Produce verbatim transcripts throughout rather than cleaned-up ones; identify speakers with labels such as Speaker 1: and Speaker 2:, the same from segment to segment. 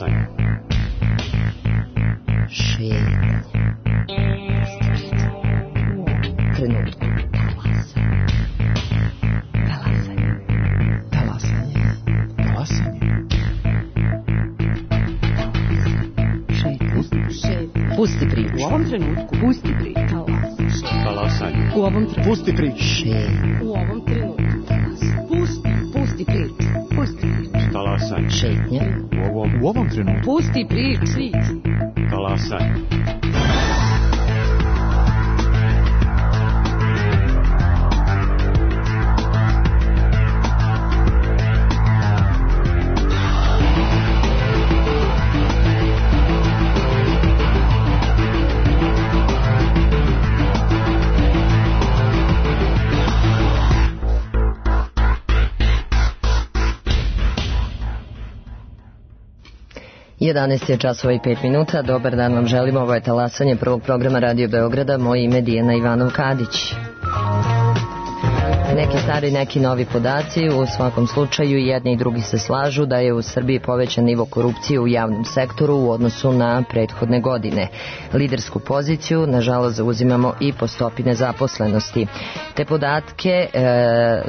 Speaker 1: Talasanje.
Speaker 2: Šetnje. Trenutku. Talasanje.
Speaker 3: Talasanje. Talasanje.
Speaker 2: Šetnje. Pusti priču.
Speaker 4: U ovom trenutku. Pusti priču.
Speaker 1: Talasanje.
Speaker 4: U ovom trenutku.
Speaker 3: Pusti priču.
Speaker 2: Šetnje.
Speaker 4: U ovom trenutku. Pusti. Pusti priču. Pusti priču.
Speaker 1: Talasanje.
Speaker 2: Šetnje.
Speaker 1: U ovom,
Speaker 3: U ovom trenutku.
Speaker 4: Pusti priču.
Speaker 1: talasanje.
Speaker 2: jedanaest je časova i pet minuta. Dobar dan vam želimo. Ovo je talasanje prvog programa Radio Beograda. Moje ime je Dijana Ivanov-Kadić. Neki stari, neki novi podaci. U svakom slučaju jedni i drugi se slažu da je u Srbiji povećan nivo korupcije u javnom sektoru u odnosu na prethodne godine. Lidersku poziciju, nažalost, zauzimamo i po stopi nezaposlenosti. Te podatke e,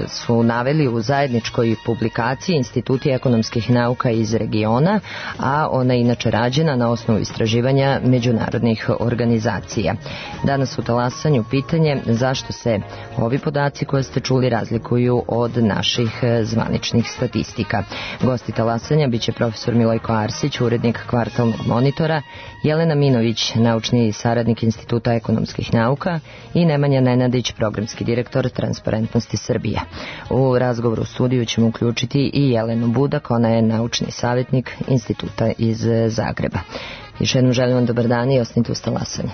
Speaker 2: su naveli u zajedničkoj publikaciji Instituti ekonomskih nauka iz regiona, a ona je inače rađena na osnovu istraživanja međunarodnih organizacija. Danas u talasanju pitanje zašto se ovi podaci koje ste čuli razlikuju od naših zvaničnih statistika. Gosti talasanja biće profesor Milojko Arsić, urednik Kvartalnog monitora, Jelena Minović, naučni saradnik Instituta ekonomskih nauka i Nemanja Nenadić, programski direktor Transparentnosti Srbije. U razgovoru u studiju ćemo uključiti i Jelenu Budak, ona je naučni savjetnik Instituta iz Zagreba. Još jednom želim vam dobar dan i ostanite uz talasanje.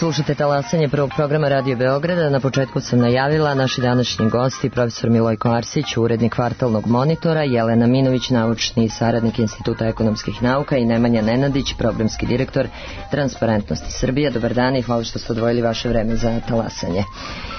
Speaker 2: Slušate talasanje prvog programa Radio Beograda. Na početku sam najavila naši današnji gosti, profesor Milojko Arsić, urednik Kvartalnog monitora, Jelena Minović, naučni saradnik Instituta ekonomskih nauka i Nemanja Nenadić, programski direktor Transparentnosti Srbije. Dobar dan i hvala što ste odvojili vaše vreme za talasanje.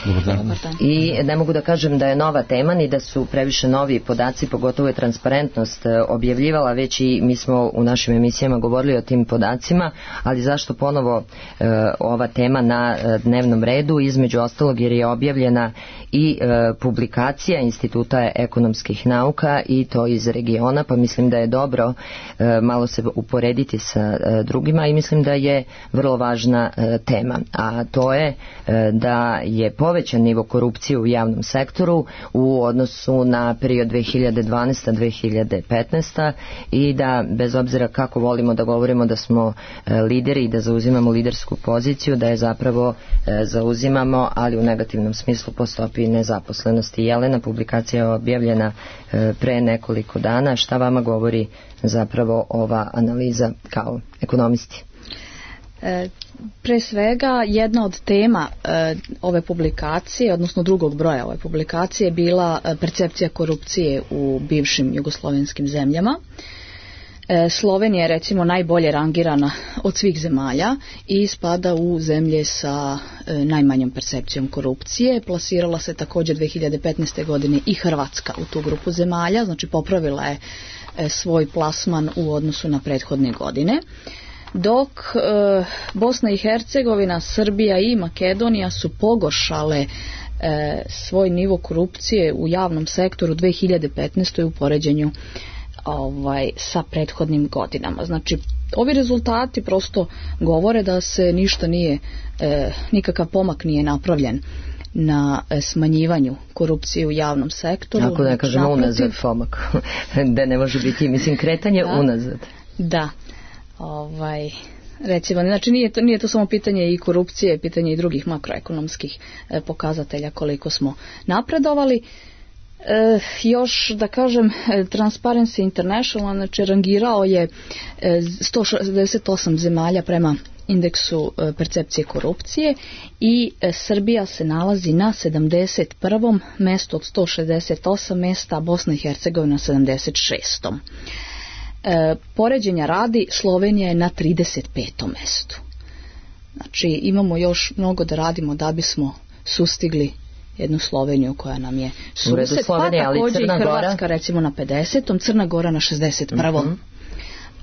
Speaker 3: Dobar dan.
Speaker 2: I ne mogu da kažem da je nova tema ni da su previše novi podaci, pogotovo je transparentnost objavljivala već i mi smo u našim emisijama govorili o tim podacima, ali zašto ponovo e, ova tema na dnevnom redu, između ostalog jer je objavljena i e, publikacija Instituta ekonomskih nauka i to iz regiona, pa mislim da je dobro e, malo se uporediti sa e, drugima i mislim da je vrlo važna e, tema, a to je e, da je povećan nivo korupcije u javnom sektoru u odnosu na period dve hiljade dvanaesta do dve hiljade petnaesta i da bez obzira kako volimo da govorimo da smo e, lideri i da zauzimamo lidersku poziciju, da je zapravo e, zauzimamo, ali u negativnom smislu po stopi nezaposlenosti. Jelena, publikacija je objavljena e, pre nekoliko dana. Šta vama govori zapravo ova analiza kao ekonomisti?
Speaker 5: E, pre svega jedna od tema e, ove publikacije, odnosno drugog broja ove publikacije je bila e, percepcija korupcije u bivšim jugoslovenskim zemljama. E, Slovenija je recimo najbolje rangirana od svih zemalja i spada u zemlje sa e, najmanjom percepcijom korupcije. Plasirala se također dve hiljade petnaeste. godine i Hrvatska u tu grupu zemalja, znači popravila je e, svoj plasman u odnosu na prethodne godine. Dok e, Bosna i Hercegovina, Srbija i Makedonija su pogoršale e, svoj nivo korupcije u javnom sektoru dve hiljade petnaeste. u poređenju ovaj, sa prethodnim godinama. Znači, ovi rezultati prosto govore da se ništa nije, e, nikakav pomak nije napravljen na smanjivanju korupcije u javnom sektoru.
Speaker 2: Ako da kažemo unazad pomak, da ne može biti, mislim, kretanje da. unazad.
Speaker 5: Da. Ovaj, recimo, znači nije to, nije to samo pitanje i korupcije, pitanje i drugih makroekonomskih e, pokazatelja koliko smo napredovali. E, još da kažem, Transparency International znači rangirao je e, sto šezdeset osam zemalja prema indeksu e, percepcije korupcije i e, Srbija se nalazi na sedamdeset prvom mestu od sto šezdeset osam mesta, a Bosna i Hercegovina na sedamdeset šestom E, poređenja radi, Slovenija je na trideset petom mestu. Znači imamo još mnogo da radimo da bismo sustigli jednu Sloveniju koja nam je sused, pa također i Hrvatska recimo na pedesetom, Crna Gora na šezdeset prvom Mm-hmm.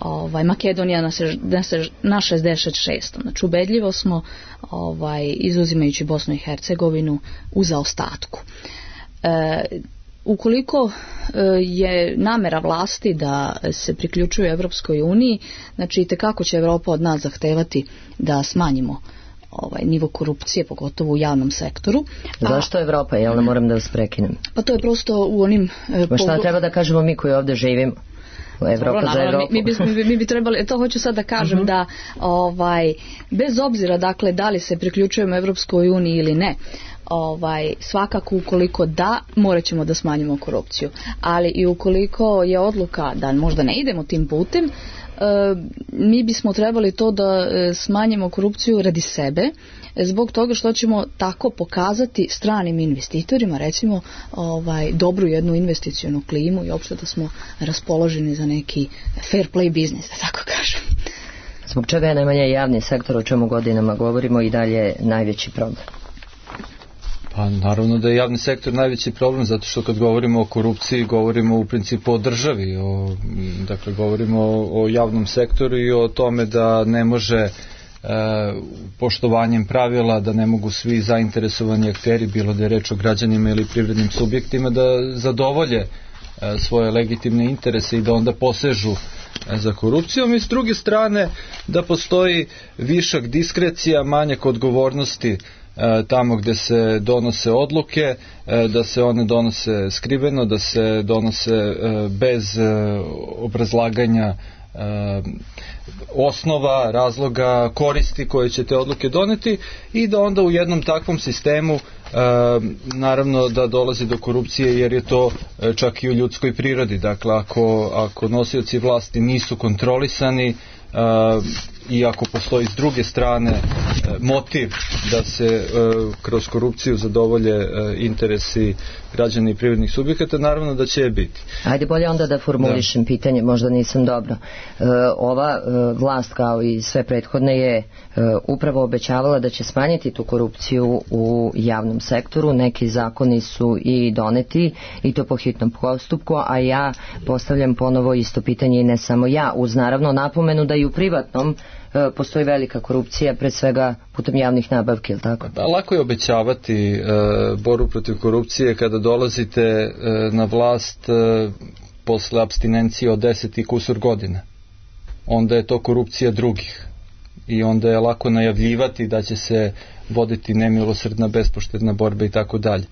Speaker 5: Ovaj, Makedonija na, sež, na šezdeset šestom Znači ubedljivo smo ovaj, izuzimajući Bosnu i Hercegovinu u zaostatku. E, Ukoliko je namera vlasti da se priključuje Evropskoj uniji, znači itekako će Evropa od nas zahtevati da smanjimo ovaj nivo korupcije, pogotovo u javnom sektoru.
Speaker 2: Zašto Evropa? Jel ne moram da vas prekinem?
Speaker 5: Pa to je prosto u onim...
Speaker 2: Ma šta treba da kažemo mi koji ovdje živimo? Evropa
Speaker 5: Dobro,
Speaker 2: za Evropu.
Speaker 5: Mi, mi, bi, mi, bi, mi bi trebali, to hoću sad da kažem uh-huh. da ovaj, bez obzira dakle da li se priključujemo Evropskoj uniji ili ne, ovaj, svakako ukoliko da, morat ćemo da smanjimo korupciju. Ali i ukoliko je odluka da možda ne idemo tim putem, e, mi bismo trebali to da smanjimo korupciju radi sebe, zbog toga što ćemo tako pokazati stranim investitorima recimo ovaj, dobru jednu investicionu klimu i uopšte da smo raspoloženi za neki fair play biznis, da tako kažem.
Speaker 2: Zbog čega je najmanje javni sektor, o čemu godinama govorimo, i dalje najveći problem?
Speaker 3: Pa naravno da je javni sektor najveći problem, zato što kad govorimo o korupciji govorimo u principu o državi, o, dakle govorimo o, o javnom sektoru i o tome da ne može e, poštovanjem pravila, da ne mogu svi zainteresovani akteri, bilo da je reč o građanima ili privrednim subjektima, da zadovolje e, svoje legitimne interese i da onda posežu e, za korupcijom, i s druge strane da postoji višak diskrecija, manjak odgovornosti tamo gde se donose odluke, da se one donose skriveno, da se donose bez obrazlaganja osnova, razloga, koristi koje će te odluke doneti, i da onda u jednom takvom sistemu naravno da dolazi do korupcije, jer je to čak i u ljudskoj prirodi. Dakle, ako, ako nosioci vlasti nisu kontrolisani, Uh, i ako postoji s druge strane uh, motiv da se kroz korupciju zadovolje interesi građana i privrednih subjekata, naravno da će je biti.
Speaker 2: Ajde bolje onda da formulišem da. pitanje, možda nisam dobro. Ova vlast kao i sve prethodne je upravo obećavala da će smanjiti tu korupciju u javnom sektoru. Neki zakoni su i doneti i to po hitnom postupku, a ja postavljam ponovo isto pitanje i ne samo ja, uz naravno napomenu da i u privatnom postoji velika korupcija, pre svega putem javnih nabavki, ili tako?
Speaker 3: Da, lako je obećavati e, borbu protiv korupcije kada dolazite e, na vlast e, posle apstinencije od deset i kusur godina. Onda je to korupcija drugih. I onda je lako najavljivati da će se voditi nemilosrdna, bespoštedna borba i tako dalje.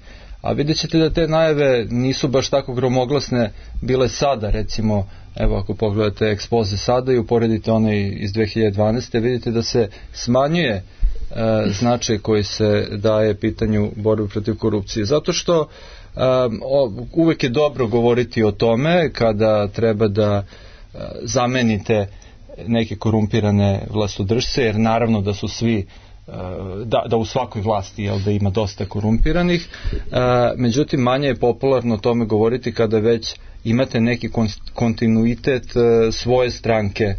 Speaker 3: A vidjet ćete da te najave nisu baš tako gromoglasne bile sada, recimo, evo ako pogledate ekspoze sada i uporedite one iz dve hiljade dvanaeste. vidite da se smanjuje e, značaj koji se daje pitanju borbe protiv korupcije. Zato što e, o, uvek je dobro govoriti o tome kada treba da e, zamenite neke korumpirane vlastodržce, jer naravno da su svi Da, da u svakoj vlasti jel, da ima dosta korumpiranih, e, međutim manje je popularno o tome govoriti kada već imate neki kontinuitet e, svoje stranke e,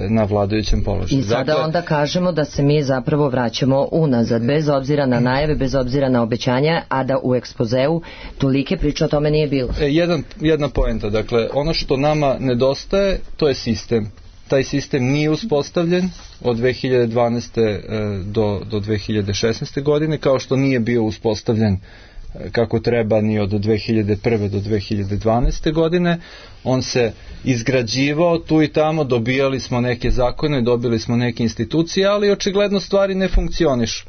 Speaker 3: na vladajućem položaju.
Speaker 2: I sada dakle, onda kažemo da se mi zapravo vraćamo unazad, bez obzira na najave, bez obzira na obećanja, a da u ekspozeu tolike priče o tome nije bilo.
Speaker 3: E, jedan, jedna poenta, dakle, ono što nama nedostaje, to je sistem. Taj sistem nije uspostavljen od dve hiljade dvanaeste do, do dve hiljade šesnaeste godine, kao što nije bio uspostavljen kako treba ni od dve hiljade prve do dve hiljade dvanaeste godine. On se izgrađivao tu i tamo, dobijali smo neke zakone, dobili smo neke institucije, ali očigledno stvari ne funkcionišu.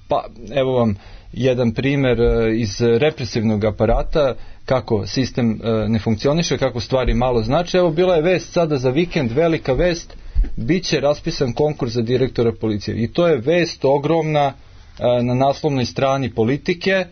Speaker 3: Pa evo vam jedan primer iz represivnog aparata, kako sistem ne funkcioniše, kako stvari malo znači. Evo bila je vest sada za vikend, velika vest, bit će raspisan konkurs za direktora policije. I to je vest ogromna na naslovnoj strani Politike,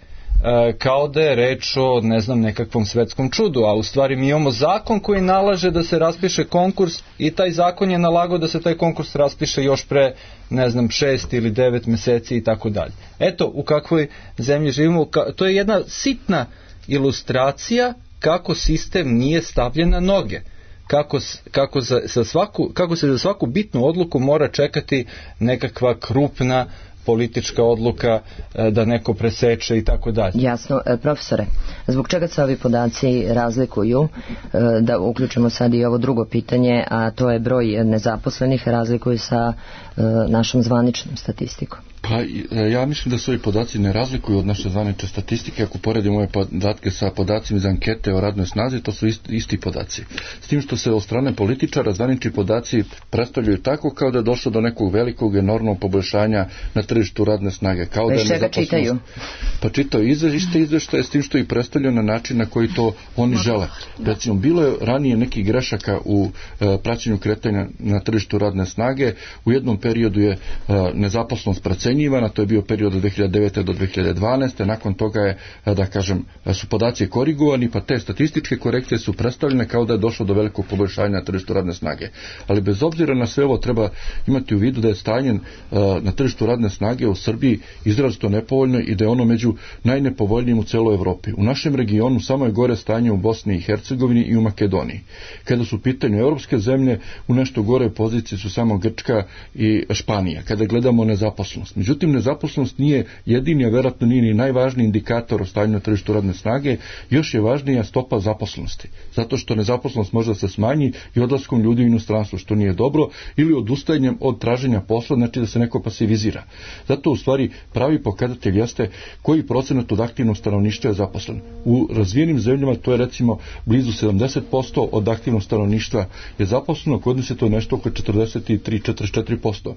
Speaker 3: kao da je reč o, ne znam, nekakvom svetskom čudu, a u stvari mi imamo zakon koji nalaže da se raspiše konkurs i taj zakon je nalagao da se taj konkurs raspiše još pre, ne znam, šest ili devet meseci i tako dalje. Eto, u kakvoj zemlji živimo, to je jedna sitna ilustracija kako sistem nije stavljen na noge. Kako, kako, za, za svaku, kako se za svaku bitnu odluku mora čekati nekakva krupna politička odluka da neko preseče i tako dalje.
Speaker 2: Jasno. Profesore, zbog čega se ovi podaci razlikuju, da uključimo sad i ovo drugo pitanje, a to je broj nezaposlenih, razlikuju sa našom zvaničnom statistikom?
Speaker 6: Pa ja mislim da se ovi podaci ne razlikuju od naše zvanične statistike. Ako poredimo ove podatke sa podacima iz ankete o radnoj snazi, to su isti, isti podaci. S tim što se od strane političara zvanični podaci predstavljaju tako kao da je došlo do nekog velikog enormnog poboljšanja na tržištu radne snage. Kao da je
Speaker 2: čega čitaju?
Speaker 6: Pa čitaju izveštaje, izveštaje s tim što ih predstavljaju na način na koji to oni žele. Recimo, bilo je ranije nekih grešaka u e, praćenju kretanja na tržištu radne snage. U jednom periodu je e, nezaposlenost procenjivana, to je bio period od dve hiljade devete do dve hiljade dvanaeste. Nakon toga je, da kažem, su podaci korigovani, pa te statističke korekcije su predstavljene kao da je došlo do velikog poboljšanja na tržištu radne snage. Ali bez obzira na sve ovo treba imati u vidu da je stanje na tržištu radne snage u Srbiji izrazito nepovoljno i da je ono među najnepovoljnijim u celoj Evropi. U našem regionu samo je gore stanje u Bosni i Hercegovini i u Makedoniji. Kada su u pitanju evropske zemlje, u nešto gore poziciji su samo Grčka i Španija. Kada gledamo nezaposlenost. Međutim, nezaposlenost nije jedini, a verovatno nije ni najvažniji indikator o stanju na tržištu radne snage, još je važnija stopa zaposlenosti. Zato što nezaposlenost može da se smanji i odlaskom ljudi u inostranstvo, što nije dobro, ili odustajanjem od traženja posla, znači da se neko pasivizira. Zato u stvari pravi pokazatelj jeste koji procenat od aktivnog stanovništva je zaposlen. U razvijenim zemljama to je recimo blizu sedamdeset posto od aktivnog stanovništva je zaposleno, kod nas je to nešto oko četrdeset tri do četrdeset četiri posto.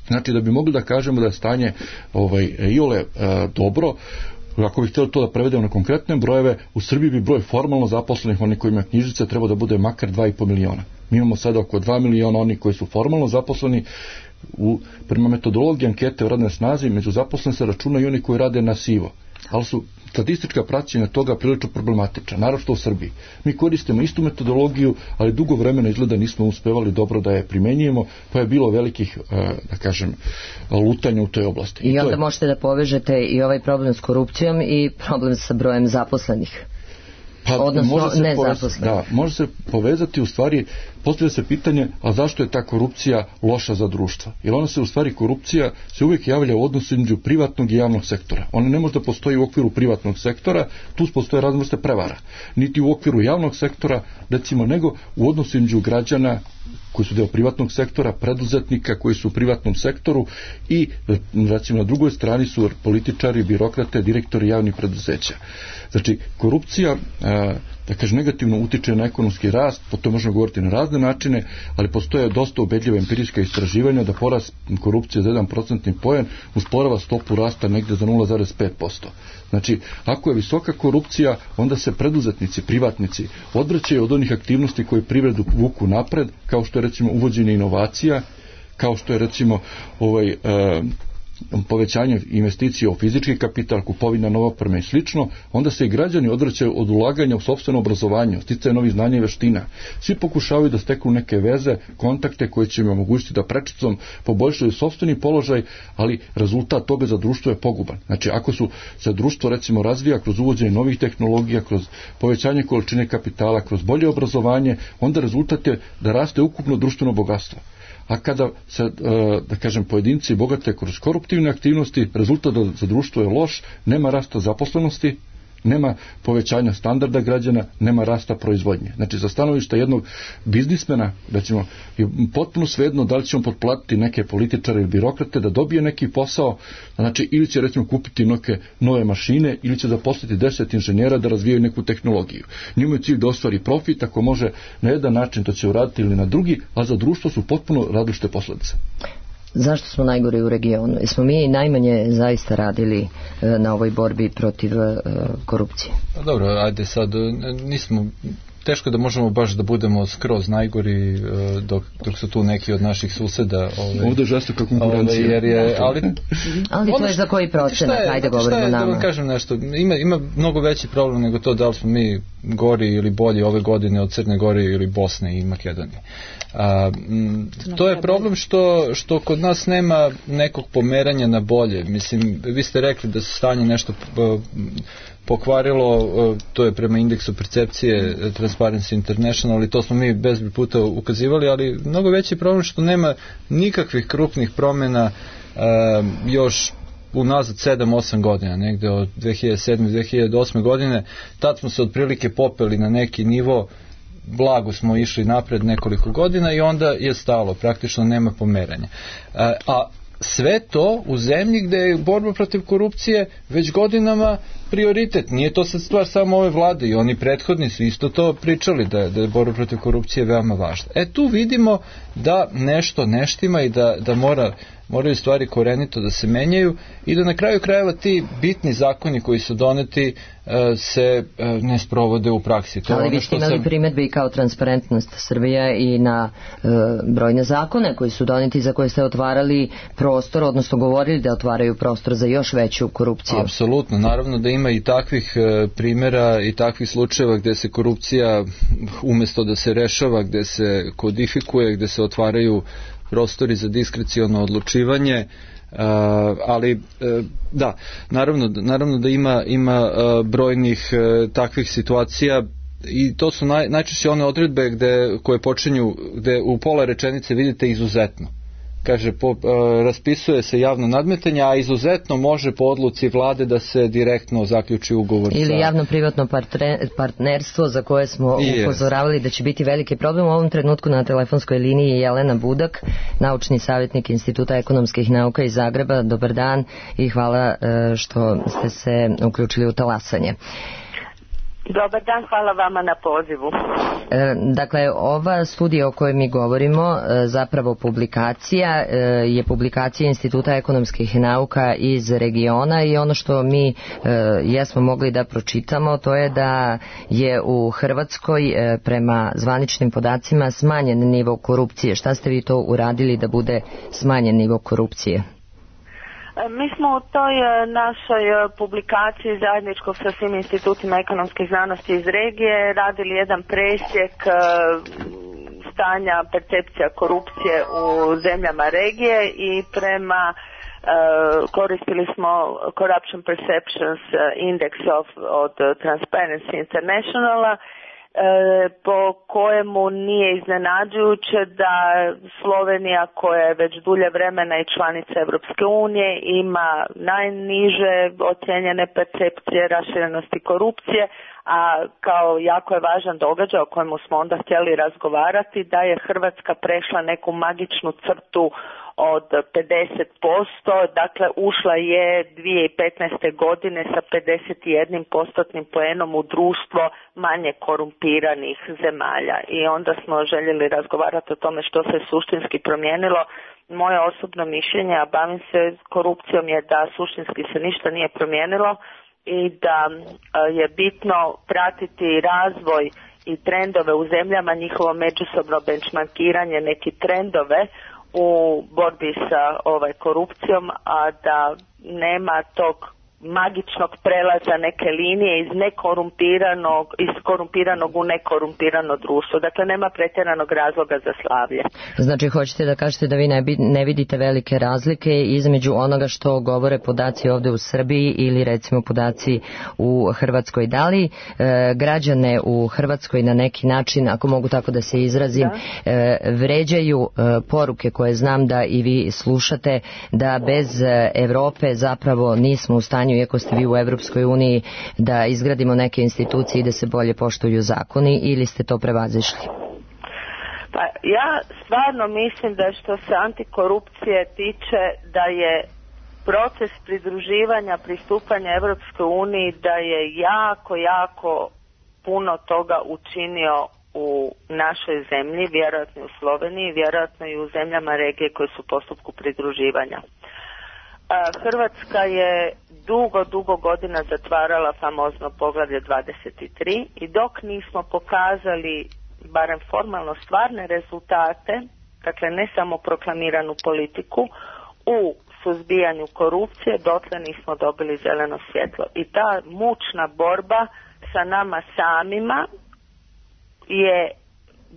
Speaker 6: Znači da bi mogli da kažemo da je stanje ovaj, iole e, dobro, ako bih htjeli to da prevedemo na konkretne brojeve, u Srbiji bi broj formalno zaposlenih, oni koji imaju knjižice, treba da bude makar dva i po miliona. Mi imamo sada oko dva miliona oni koji su formalno zaposleni. U, prema metodologiji ankete o radnoj snazi, među zaposlenim se računaju i oni koji rade na sivo. Ali su statistička praćenja toga prilično problematična, naravno u Srbiji. Mi koristimo istu metodologiju, ali dugo vremena izgleda nismo uspevali dobro da je primenjujemo, pa je bilo velikih, da kažem, lutanja u toj oblasti.
Speaker 2: I,
Speaker 6: I
Speaker 2: onda
Speaker 6: je...
Speaker 2: možete da povežete i ovaj problem s korupcijom i problem sa brojem zaposlenih.
Speaker 6: Pa,
Speaker 2: odnosno
Speaker 6: može
Speaker 2: nezaposlenih.
Speaker 6: Da, može se povezati u stvari, postavlja se pitanje, a zašto je ta korupcija loša za društvo? Jer ona se u stvari, korupcija se uvijek javlja u odnosu između privatnog i javnog sektora. Ona ne može da postoji u okviru privatnog sektora, tu postoje razne vrste prevara. Niti u okviru javnog sektora, recimo, nego u odnosu između građana koji su deo privatnog sektora, preduzetnika koji su u privatnom sektoru i, recimo, na drugoj strani su političari, birokrate, direktori javnih preduzeća. Znači, korupcija, da kaže, negativno utiče na ekonomski rast, po to možemo govoriti na razne načine, ali postoje dosta ubedljiva empirijska istraživanja da porast korupcije za jedan procentni poen usporava stopu rasta negde za nula zarez pet posto. Znači, ako je visoka korupcija, onda se preduzetnici, privatnici odvraćaju od onih aktivnosti koje privredu vuku napred, kao što je recimo uvođenje inovacija, kao što je recimo ovaj, e, povećanje investicija u fizički kapital, kupovina nove opreme i slično, onda se i građani odvraćaju od ulaganja u sopstveno obrazovanje, sticaje novih znanja i veština. Svi pokušavaju da steknu neke veze, kontakte koje će im omogućiti da prečicom poboljšaju sopstveni položaj, ali rezultat toga za društvo je poguban. Znači, ako su se društvo recimo razvija kroz uvođenje novih tehnologija, kroz povećanje količine kapitala, kroz bolje obrazovanje, onda rezultat je da raste ukupno društveno bogatstvo. A kada se, da kažem, pojedinci bogate kroz koruptivne aktivnosti, rezultat za društvo je loš, nema rasta zaposlenosti, nema povećanja standarda građana, nema rasta proizvodnje. Znači, za stanovišta jednog biznismena, recimo, je potpuno svejedno da li će on potplatiti neke političare ili birokrate da dobije neki posao, znači, ili će recimo kupiti neke nove mašine, ili će zaposliti deset inženjera da razvijaju neku tehnologiju. Njima je cilj da ostvari profit, ako može na jedan način to će uraditi ili na drugi, a za društvo su potpuno različite posledice.
Speaker 2: Zašto smo najgori u regionu? Jesmo mi najmanje zaista radili na ovoj borbi protiv korupcije?
Speaker 3: Pa dobro, ajde sad, nismo, teško da možemo baš da budemo skroz najgori dok, dok su tu neki od naših suseda. Ove,
Speaker 6: Ovdje je žestoka konkurencija.
Speaker 3: Ove, jer je, ali
Speaker 2: ali to je za koji procenat? Ajde govorimo nama.
Speaker 3: Da vam kažem nešto, ima, ima mnogo veći problem nego to da li smo mi gori ili bolji ove godine od Crne Gore ili Bosne i Makedonije. A, m, to je problem što, što kod nas nema nekog pomeranja na bolje. Mislim, vi ste rekli da se stanje nešto uh, pokvarilo, uh, to je prema indeksu percepcije Transparency International, i to smo mi bezbroj puta ukazivali, ali mnogo veći problem što nema nikakvih krupnih promjena uh, još unazad sedam osam godina, negde od dve hiljade sedme do dve hiljade osme godine. Tad smo se otprilike popeli na neki nivo, blago smo išli napred nekoliko godina i onda je stalo, praktično nema pomeranja. A, a sve to u zemlji gde je borba protiv korupcije već godinama prioritet. Nije to sad stvar samo ove vlade, i oni prethodni su isto to pričali, da, da je borba protiv korupcije veoma važna. E tu vidimo da nešto neštima i da, da mora, moraju stvari korenito da se menjaju i da na kraju krajeva ti bitni zakoni koji su doneti se ne sprovode u praksi. To
Speaker 2: ali vi ste imali sam... primjedbe i kao Transparentnost Srbija i na e, brojne zakone koji su doneti, za koje ste otvarali prostor, odnosno govorili da otvaraju prostor za još veću korupciju.
Speaker 3: Apsolutno, naravno da ima i takvih e, primjera i takvih slučajeva gde se korupcija umjesto da se rešava, gde se kodifikuje, gde se otvaraju prostori za diskreciono odlučivanje. Uh, ali uh, da, naravno, naravno da ima, ima uh, brojnih uh, takvih situacija, i to su naj, najčešće one odredbe gde, koje počinju, gde u pola rečenice vidite izuzetno. Kaže, po, uh, raspisuje se javno nadmetanje, a izuzetno može po odluci vlade da se direktno zaključi ugovor.
Speaker 2: Ili
Speaker 3: za...
Speaker 2: javno-privatno partnerstvo za koje smo yes. upozoravali da će biti veliki problem. U ovom trenutku na telefonskoj liniji je Jelena Budak, naučni savjetnik Instituta ekonomskih nauka iz Zagreba. Dobar dan i hvala uh, što ste se uključili u talasanje.
Speaker 7: Dobar dan, hvala vama na pozivu.
Speaker 2: E, dakle, ova studija o kojoj mi govorimo, e, zapravo publikacija, e, je publikacija Instituta ekonomskih nauka iz regiona, i ono što mi e, jesmo mogli da pročitamo, to je da je u Hrvatskoj e, prema zvaničnim podacima smanjen nivo korupcije. Šta ste vi to uradili da bude smanjen nivo korupcije?
Speaker 7: Mi smo u toj našoj publikaciji zajedničkog sa svim institutima ekonomskih znanosti iz regije radili jedan presjek stanja percepcija korupcije u zemljama regije i prema uh, koristili smo Corruption Perceptions Index of, od Transparency Internationala, po kojemu nije iznenađujuće da Slovenija, koja je već dulje vremena i članica Europske unije, ima najniže ocijenjene percepcije raširenosti korupcije, a kao jako je važan događaj o kojemu smo onda htjeli razgovarati, da je Hrvatska prešla neku magičnu crtu od pedeset posto, dakle ušla je dvije tisuće petnaeste. godine sa pedeset jedan postotnim poenom u društvo manje korumpiranih zemalja. I onda smo željeli razgovarati o tome što se suštinski promijenilo. Moje osobno mišljenje, a bavim se korupcijom, je da suštinski se ništa nije promijenilo i da je bitno pratiti razvoj i trendove u zemljama, njihovo međusobno benchmarkiranje, neki trendove u borbi sa ovaj korupcijom, a da nema tog magičnog prelaza neke linije iz nekorumpiranog, iz korumpiranog u nekorumpirano društvo. Dakle, nema pretjeranog razloga za slavlje.
Speaker 2: Znači, hoćete da kažete da vi ne, bi, ne vidite velike razlike između onoga što govore podaci ovde u Srbiji ili recimo podaci u Hrvatskoj. Da li e, građane u Hrvatskoj na neki način, ako mogu tako da se izrazim, da. E, vređaju e, poruke koje znam da i vi slušate, da bez e, Evrope zapravo nismo u stanju, iako ste vi u Evropskoj uniji, da izgradimo neke institucije i da se bolje poštuju zakoni, ili ste to prevazišli?
Speaker 7: Pa ja stvarno mislim da što se antikorupcije tiče, da je proces pridruživanja, pristupanja Evropskoj uniji, da je jako, jako puno toga učinio u našoj zemlji, vjerojatno u Sloveniji, vjerojatno i u zemljama regije koje su u postupku pridruživanja. Hrvatska je dugo, dugo godina zatvarala famozno poglavlje dvadeset tri i dok nismo pokazali barem formalno stvarne rezultate, dakle ne samo proklamiranu politiku, u suzbijanju korupcije, dotle nismo dobili zeleno svjetlo. I ta mučna borba sa nama samima je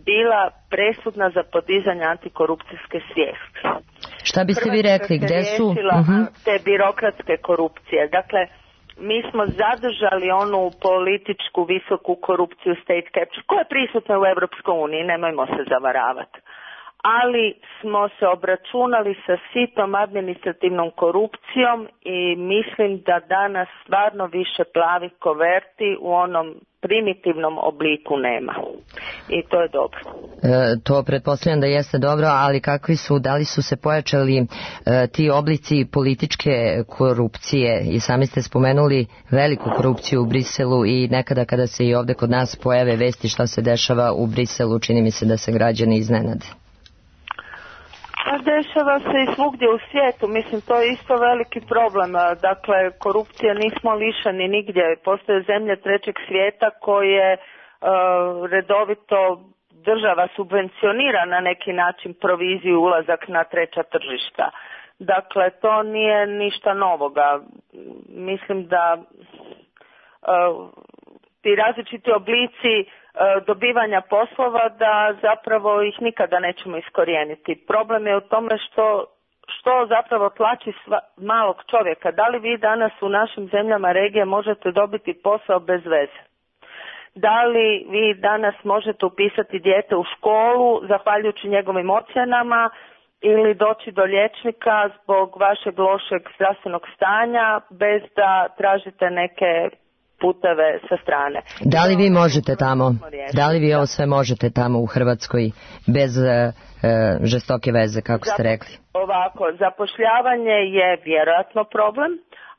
Speaker 7: bila presudna za podizanje antikorupcijske svijesti.
Speaker 2: Šta biste vi rekli, gdje su uh-huh.
Speaker 7: te birokratske korupcije? Dakle, mi smo zadržali onu političku visoku korupciju, state capture, koja je prisutna u Europskoj uniji, nemojmo se zavaravati. Ali smo se obračunali sa sitom administrativnom korupcijom i mislim da danas stvarno više plavih koverti u onom primitivnom obliku nema. I to je dobro.
Speaker 2: E, to pretpostavljam da jeste dobro, ali kakvi su, da li su se pojačali e, ti oblici političke korupcije? I sami ste spomenuli veliku korupciju u Briselu i nekada kada se i ovde kod nas pojave vesti šta se dešava u Briselu, čini mi se da se građani iznenade.
Speaker 7: Pa dešava se i svugdje u svijetu, mislim to je isto veliki problem, dakle korupcije nismo lišeni nigdje, postoje zemlje trećeg svijeta koje uh, redovito država subvencionira na neki način proviziju ulazak na treća tržišta, dakle to nije ništa novoga, mislim da uh, ti različiti oblici dobivanja poslova da zapravo ih nikada nećemo iskorijeniti. Problem je u tome što, što zapravo tlači sva, malog čovjeka. Da li vi danas u našim zemljama regije možete dobiti posao bez veze? Da li vi danas možete upisati dijete u školu zahvaljujući njegovim ocjenama ili doći do liječnika zbog vašeg lošeg zdravstvenog stanja bez da tražite neke puteve sa strane.
Speaker 2: Da li vi možete tamo, da li vi ovo sve možete tamo u Hrvatskoj bez e, žestoke veze, kako ste rekli?
Speaker 7: Ovako, zapošljavanje je vjerojatno problem,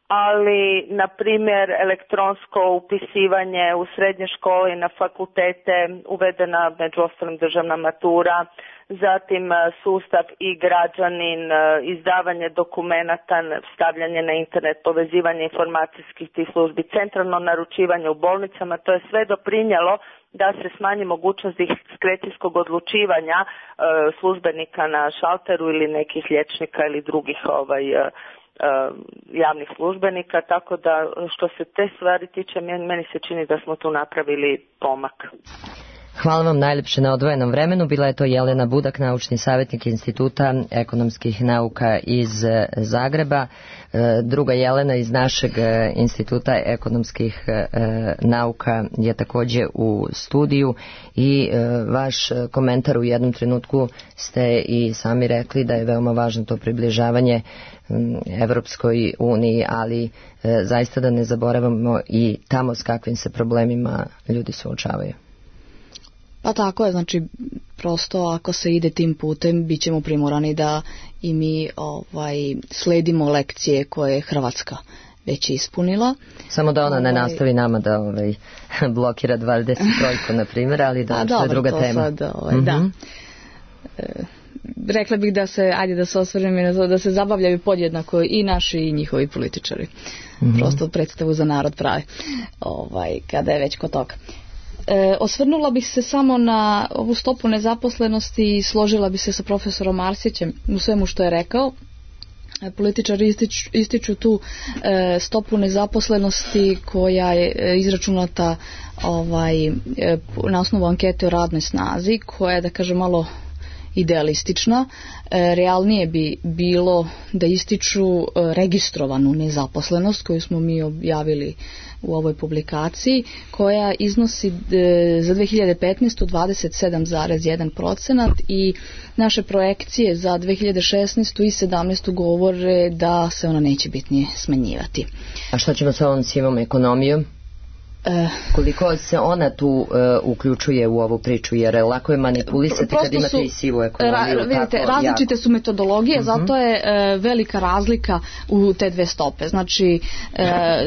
Speaker 7: ali na primjer elektronsko upisivanje u srednje škole i na fakultete, uvedena među ostalim državna matura, zatim sustav i građanin, izdavanje dokumenata, stavljanje na internet, povezivanje informacijskih tih službi, centralno naručivanje u bolnicama, to je sve doprinjelo da se smanji mogućnost diskrecijskog odlučivanja e, službenika na šalteru ili nekih liječnika ili drugih ovaj, javnih službenika, tako da što se te stvari tiče, meni se čini da smo tu napravili pomak.
Speaker 2: Hvala vam najljepše na odvojenom vremenu. Bila je to Jelena Budak, naučni savjetnik Instituta ekonomskih nauka iz Zagreba. Druga Jelena iz našeg Instituta ekonomskih nauka je također u studiju i vaš komentar u jednom trenutku ste i sami rekli da je veoma važno to približavanje Evropskoj uniji, ali zaista da ne zaboravimo i tamo s kakvim se problemima ljudi suočavaju.
Speaker 5: Pa tako je, znači prosto ako se ide tim putem bit ćemo primorani da i mi ovaj, sledimo lekcije koje je Hrvatska već ispunila.
Speaker 2: Samo da ona
Speaker 5: ovaj,
Speaker 2: ne nastavi nama da ovaj, blokira dvadeset trojku na primjer, ali da, to je druga
Speaker 5: to
Speaker 2: tema.
Speaker 5: Sad, ovaj, mm-hmm. Da. E, rekla bih da se, ajde da se osvrnem i na to, da se zabavljaju podjednako i naši i njihovi političari. Mm-hmm. Prosto predstavu za narod pravi, ovaj, kada je već kod toga. E, osvrnula bih se samo na ovu stopu nezaposlenosti i složila bi se sa profesorom Arsićem u svemu što je rekao. E, političari ističu, ističu tu e, stopu nezaposlenosti koja je e, izračunata ovaj, e, na osnovu ankete o radnoj snazi, koja je, da kažem, malo idealistična. E, realnije bi bilo da ističu e, registrovanu nezaposlenost koju smo mi objavili u ovoj publikaciji, koja iznosi e, za dve hiljade petnaestu. dvadeset sedam zarez jedan procenat i naše projekcije za dve hiljade šesnaestu. i sedamnaestu. govore da se ona neće bitnije smanjivati.
Speaker 2: A što ćemo sa ovom sivom ekonomijom? E, koliko se ona tu uh, uključuje u ovu priču, jer lako je manipulisati kad imate su, i sivu ekonomiju.
Speaker 5: Ra, vidite, tako različite jako. Su metodologije, uh-huh. zato je uh, velika razlika u te dve stope. Znači, uh,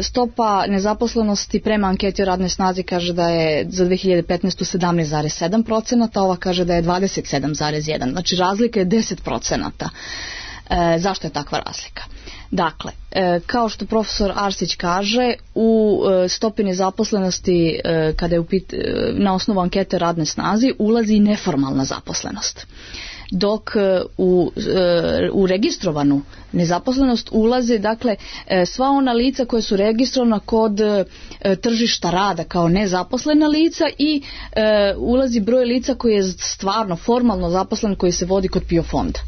Speaker 5: stopa nezaposlenosti prema anketi o radnoj snazi kaže da je za dve hiljade petnaestu. sedamnaest zarez sedam procenata, ova kaže da je dvadeset sedam zarez jedan. Znači, razlika je deset procenata. Uh, zašto je takva razlika? Dakle, e, kao što profesor Arsić kaže, u e, stopi nezaposlenosti e, kada je upit, e, na osnovu ankete radne snazi ulazi i neformalna zaposlenost. Dok e, u, e, u registrovanu nezaposlenost ulaze, dakle, e, sva ona lica koja su registrovana kod e, tržišta rada kao nezaposlena lica i e, ulazi broj lica koji je stvarno formalno zaposlen, koji se vodi kod P I O fonda.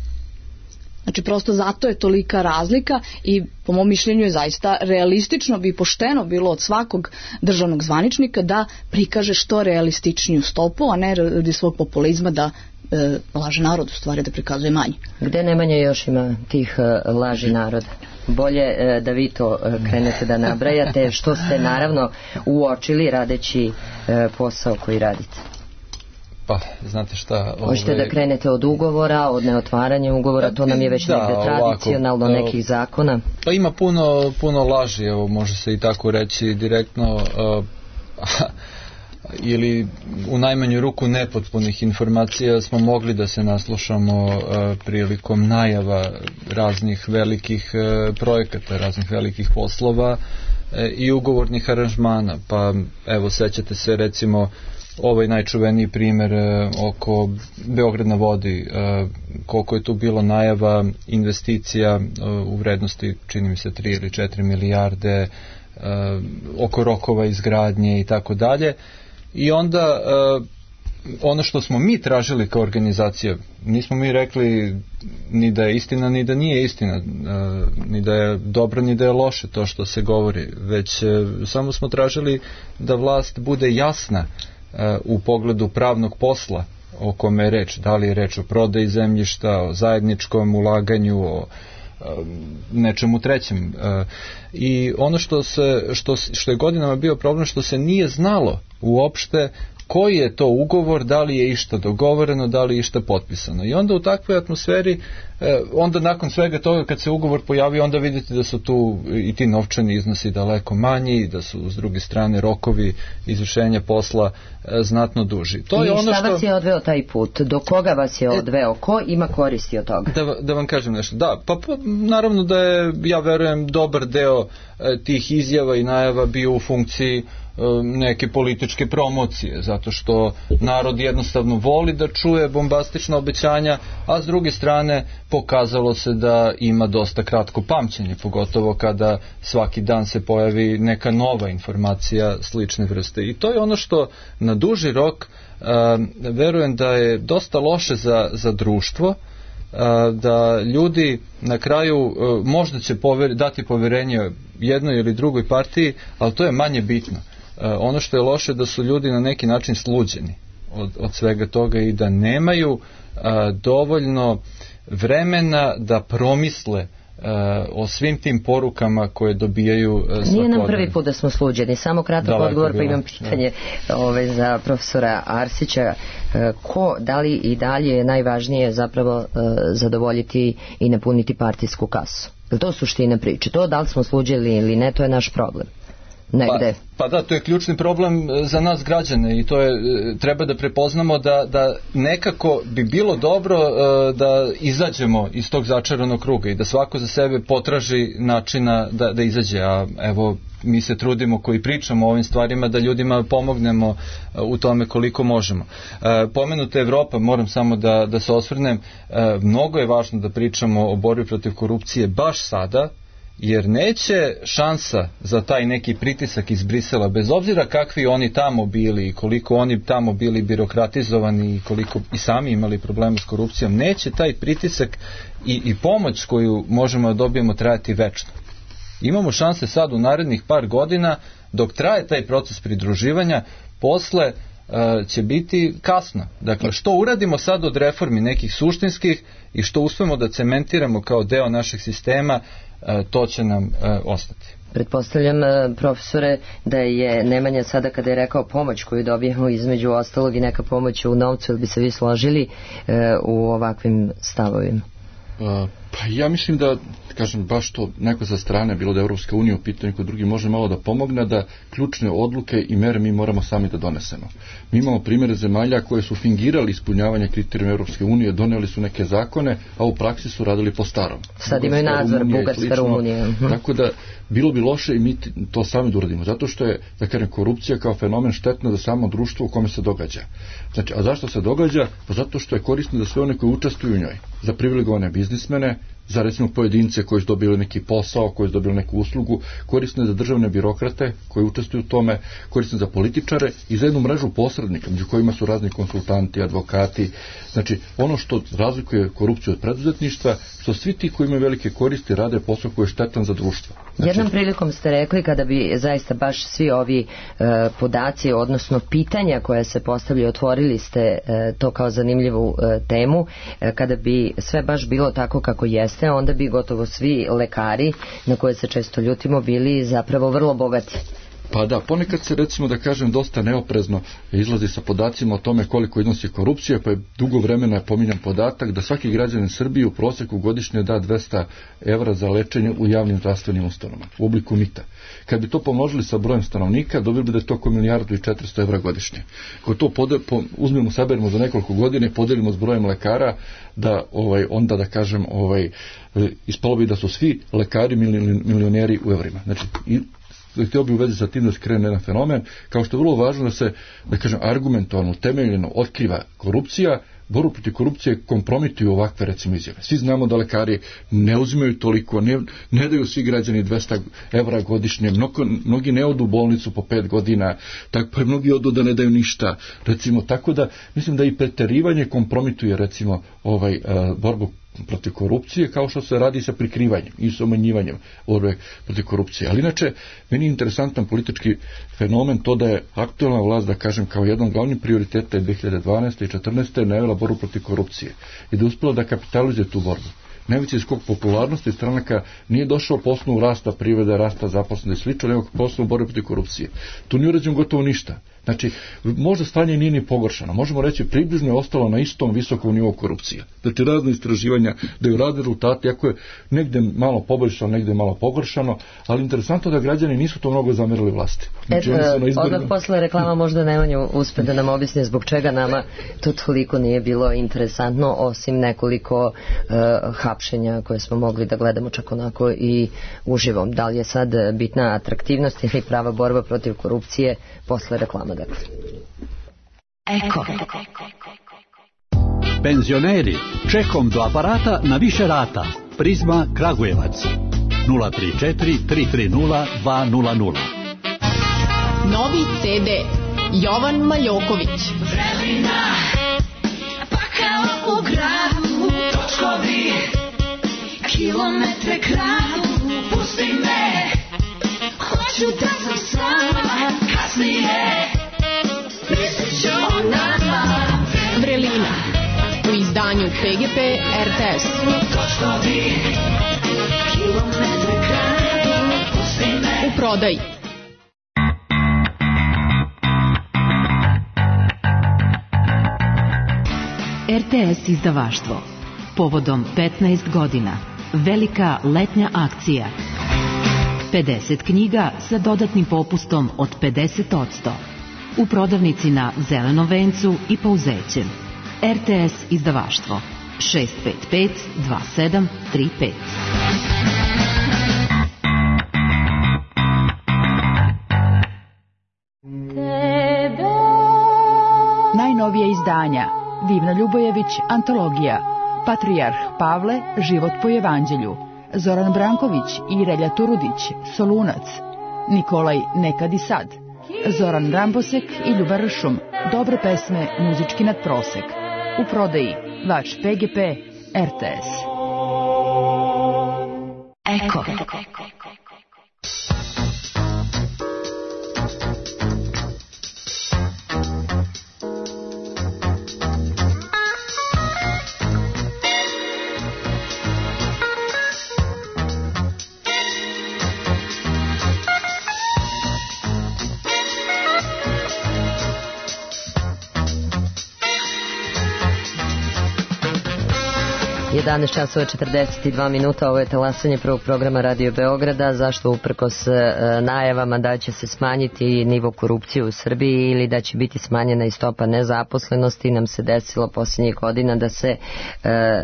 Speaker 5: Znači, prosto zato je tolika razlika i po mom mišljenju je zaista realistično bi pošteno bilo od svakog državnog zvaničnika da prikaže što realističniju stopu, a ne radi svog populizma da e, laže narod, u stvari da prikazuje manje.
Speaker 2: Gde Nemanja još ima tih e, laži naroda? Bolje e, da vi to e, krenete da nabrajate, što ste naravno uočili radeći e, posao koji radite.
Speaker 3: Pa, znate šta...
Speaker 2: Hoćete ove... da krenete od ugovora, od neotvaranja ugovora, to nam je već da, negde tradicionalno ovako, nekih zakona.
Speaker 3: Pa ima puno, puno laži, evo, može se i tako reći direktno, uh, ili u najmanju ruku nepotpunih informacija smo mogli da se naslušamo uh, prilikom najava raznih velikih uh, projekata, raznih velikih poslova uh, i ugovornih aranžmana. Pa, evo, sećate se recimo ovaj najčuveniji primjer e, oko Beograd na vodi, e, koliko je tu bilo najava investicija e, u vrednosti, čini mi se, tri ili četiri milijarde, e, oko rokova izgradnje i tako dalje. I onda e, ono što smo mi tražili kao organizacija, nismo mi rekli ni da je istina, ni da nije istina, e, ni da je dobro, ni da je loše to što se govori, već e, samo smo tražili da vlast bude jasna u pogledu pravnog posla o kome je reč, da li je reč o prodaji zemljišta, o zajedničkom ulaganju, o nečemu trećem. I ono što, se, što, što je godinama bio problem, što se nije znalo uopšte koji je to ugovor, da li je išta dogovoreno, da li je išta potpisano. I onda u takvoj atmosferi, onda nakon svega toga kad se ugovor pojavi, onda vidite da su tu i ti novčani iznosi daleko manji, da su s druge strane rokovi izvršenja posla znatno duži. To
Speaker 2: I
Speaker 3: je ono
Speaker 2: šta
Speaker 3: što...
Speaker 2: vas je odveo taj put? Do koga vas je odveo? Ko ima koristi od toga?
Speaker 3: Da, da vam kažem nešto. Da, pa, pa naravno da je, ja verujem, dobar deo e, tih izjava i najava bio u funkciji neke političke promocije, zato što narod jednostavno voli da čuje bombastična obećanja, a s druge strane pokazalo se da ima dosta kratko pamćenje, pogotovo kada svaki dan se pojavi neka nova informacija slične vrste. I to je ono što na duži rok uh, verujem da je dosta loše za, za društvo, uh, da ljudi na kraju uh, možda će pover, dati poverenje jednoj ili drugoj partiji, ali to je manje bitno. Uh, ono što je loše da su ljudi na neki način sluđeni od, od svega toga i da nemaju uh, dovoljno vremena da promisle Uh, o svim tim porukama koje dobijaju uh, svakodnevno.
Speaker 2: Nije nam prvi put da smo sluđeni, samo kratak Daleko odgovor, pa imam pitanje ove, za profesora Arsića. Uh, ko, da li i dalje je najvažnije zapravo uh, zadovoljiti i napuniti partijsku kasu? Je to suština priče? To da li smo sluđeni ili ne, to je naš problem. Negde.
Speaker 3: Pa, pa da, to je ključni problem za nas građane i to je, treba da prepoznamo da, da nekako bi bilo dobro uh, da izađemo iz tog začaranog kruga i da svako za sebe potraži načina da, da izađe, a evo mi se trudimo koji pričamo o ovim stvarima da ljudima pomognemo uh, u tome koliko možemo. Uh, pomenuta Evropa, moram samo da, da se osvrnem, uh, mnogo je važno da pričamo o borbi protiv korupcije baš sada, jer neće šansa za taj neki pritisak iz Brisela, bez obzira kakvi oni tamo bili i koliko oni tamo bili birokratizovani i koliko i sami imali problema s korupcijom, neće taj pritisak i, i pomoć koju možemo da dobijemo trajati večno. Imamo šanse sad u narednih par godina, dok traje taj proces pridruživanja, posle uh, će biti kasno. Dakle, što uradimo sad od reformi nekih suštinskih i što uspemo da cementiramo kao deo našeg sistema, to će nam uh, ostati.
Speaker 2: Pretpostavljam, uh, profesore, da je Nemanja sada kada je rekao pomoć koju dobijemo između ostalog i neka pomoć u novcu, ili bi se vi složili uh, u ovakvim stavovima?
Speaker 6: Uh, pa ja mislim da, kažem, baš to neko sa strane, bilo da je Evropska unija u pitanju, kod drugi može malo da pomogne, da ključne odluke i mere mi moramo sami da donesemo. Mi imamo primjere zemalja koje su fingirali ispunjavanje kriterijuma Evropske unije, doneli su neke zakone, a u praksi su radili po starom.
Speaker 2: Sad imaju nadzor, Bugarska, Rumunija.
Speaker 6: Tako da bilo bi loše i mi to sami da uradimo, zato što je, da kažem, korupcija kao fenomen štetna za samo društvo u kome se događa. Znači, a zašto se događa? Pa zato što je korisno za sve one koji učestvuju u njoj, za privilegovane biznismene, za recimo pojedince koji su dobili neki posao, koji su dobili neku uslugu, korisno je za državne birokrate koji učestvuju u tome, korisno je za političare i za jednu mrežu posrednika, među kojima su razni konsultanti, advokati. Znači, ono što razlikuje korupciju od preduzetništva, što svi ti koji imaju velike koristi rade posao koji je štetan za društvo. Znači,
Speaker 2: jednom prilikom ste rekli, kada bi zaista baš svi ovi e, podaci, odnosno pitanja koja se postavljaju, otvorili ste e, to kao zanimljivu e, temu, e, kada bi sve baš bilo tako kako jeste, onda bi gotovo svi lekari, na koje se često ljutimo, bili zapravo vrlo bogati.
Speaker 6: Pa da, ponekad se, recimo da kažem, dosta neoprezno izlazi sa podacima o tome koliko iznosi korupcija, pa je dugo vremena pominjam podatak da svaki građanin Srbije u proseku godišnje da dvesta evra za lečenje u javnim zdravstvenim ustanovama u obliku mita. Kad bi to pomnožili sa brojem stanovnika, dobili bi da je to oko milijardu i četiristo evra godišnje. Kad to pode, po, uzmemo, saberimo za nekoliko godine, podelimo s brojem lekara, da ovaj onda da kažem, ovaj ispalo bi da su svi lekari milioneri u evrima. Znači, i htio bi u vezi sa tim da skrene jedan fenomen, kao što je vrlo važno da se, da kažem, argumentovano, temeljeno otkriva korupcija, borbu protiv korupcije kompromituju ovakve, recimo, izjave. Svi znamo da lekari ne uzimaju toliko, ne, ne daju svi građani dvesta evra godišnje, mnogo, mnogi ne odu u bolnicu po pet godina, tako pa mnogi odu da ne daju ništa, recimo, tako da mislim da i preterivanje kompromituje, recimo, ovaj, uh, borbu protiv korupcije, kao što se radi sa prikrivanjem i sa umanjivanjem borbe protiv korupcije. Ali inače, meni je interesantan politički fenomen to da je aktualna vlast, da kažem, kao jedan od glavnih prioriteta dve hiljade dvanaeste i četrnaeste najavila borbu protiv korupcije i da je uspela da kapitalizuje tu borbu. Najveći skok popularnosti stranaka nije došao po osnovu rasta privrede, rasta zaposlenosti i slično, nego po osnovu borbe protiv korupcije. Tu nije urađeno gotovo ništa. Znači, možda stanje nije ni pogoršano. Možemo reći, približno je ostalo na istom visokom nivou korupcije. Znači, razne istraživanja daju razne rezultate, iako je negde malo poboljšano, negde malo pogoršano, ali interesantno da građani nisu to mnogo zamerili vlasti. Znači,
Speaker 2: Eto, odmah posle reklama možda Nemanja uspe da nam objasni zbog čega nama to toliko nije bilo interesantno, osim nekoliko uh, hapšenja koje smo mogli da gledamo čak onako i uživom. Da li je sad bitna atraktivnost ili prava borba protiv korupcije posle reklama, dakle.
Speaker 8: Eko. Penzioneri, čekom do aparata na više rata. Prizma Kragujevac. nula tri četiri tri tri nula dva nula nula.
Speaker 9: Novi ce de Jovan Maljoković.
Speaker 10: Vrelina, pakao u gradu, točkovi, kilometre kradu, pusti me, hoću da sam sama, kasnije, mislit ću o nama.
Speaker 9: Vrelina, u izdanju pe ge pe er te es.
Speaker 10: Točkovi, kilometre kradu, pusti me.
Speaker 9: U prodaji.
Speaker 11: er te es izdavaštvo. Povodom petnaest godina. Velika letnja akcija. pedeset knjiga sa dodatnim popustom od pedeset posto. U prodavnici na Zelenom vencu i Pouzećem. er te es izdavaštvo. šest pet pet dva sedam tri pet.
Speaker 12: Najnovije izdanja. Divna Ljubojević, antologija. Patrijarh Pavle, život po evanđelju. Zoran Branković i Relja Turudić, Solunac. Nikolaj, nekad i sad. Zoran Rambosek i Ljuba Ršum, dobre pesme, muzički nadprosek. U prodaji, vaš pe ge pe, er te es.
Speaker 8: Eko.
Speaker 2: jedanaest časova četrdeset dva minuta, ovo je talasanje prvog programa Radio Beograda. Zašto uprkos najavama da će se smanjiti nivo korupcije u Srbiji ili da će biti smanjena i stopa nezaposlenosti, nam se desilo posljednjih godina da se e,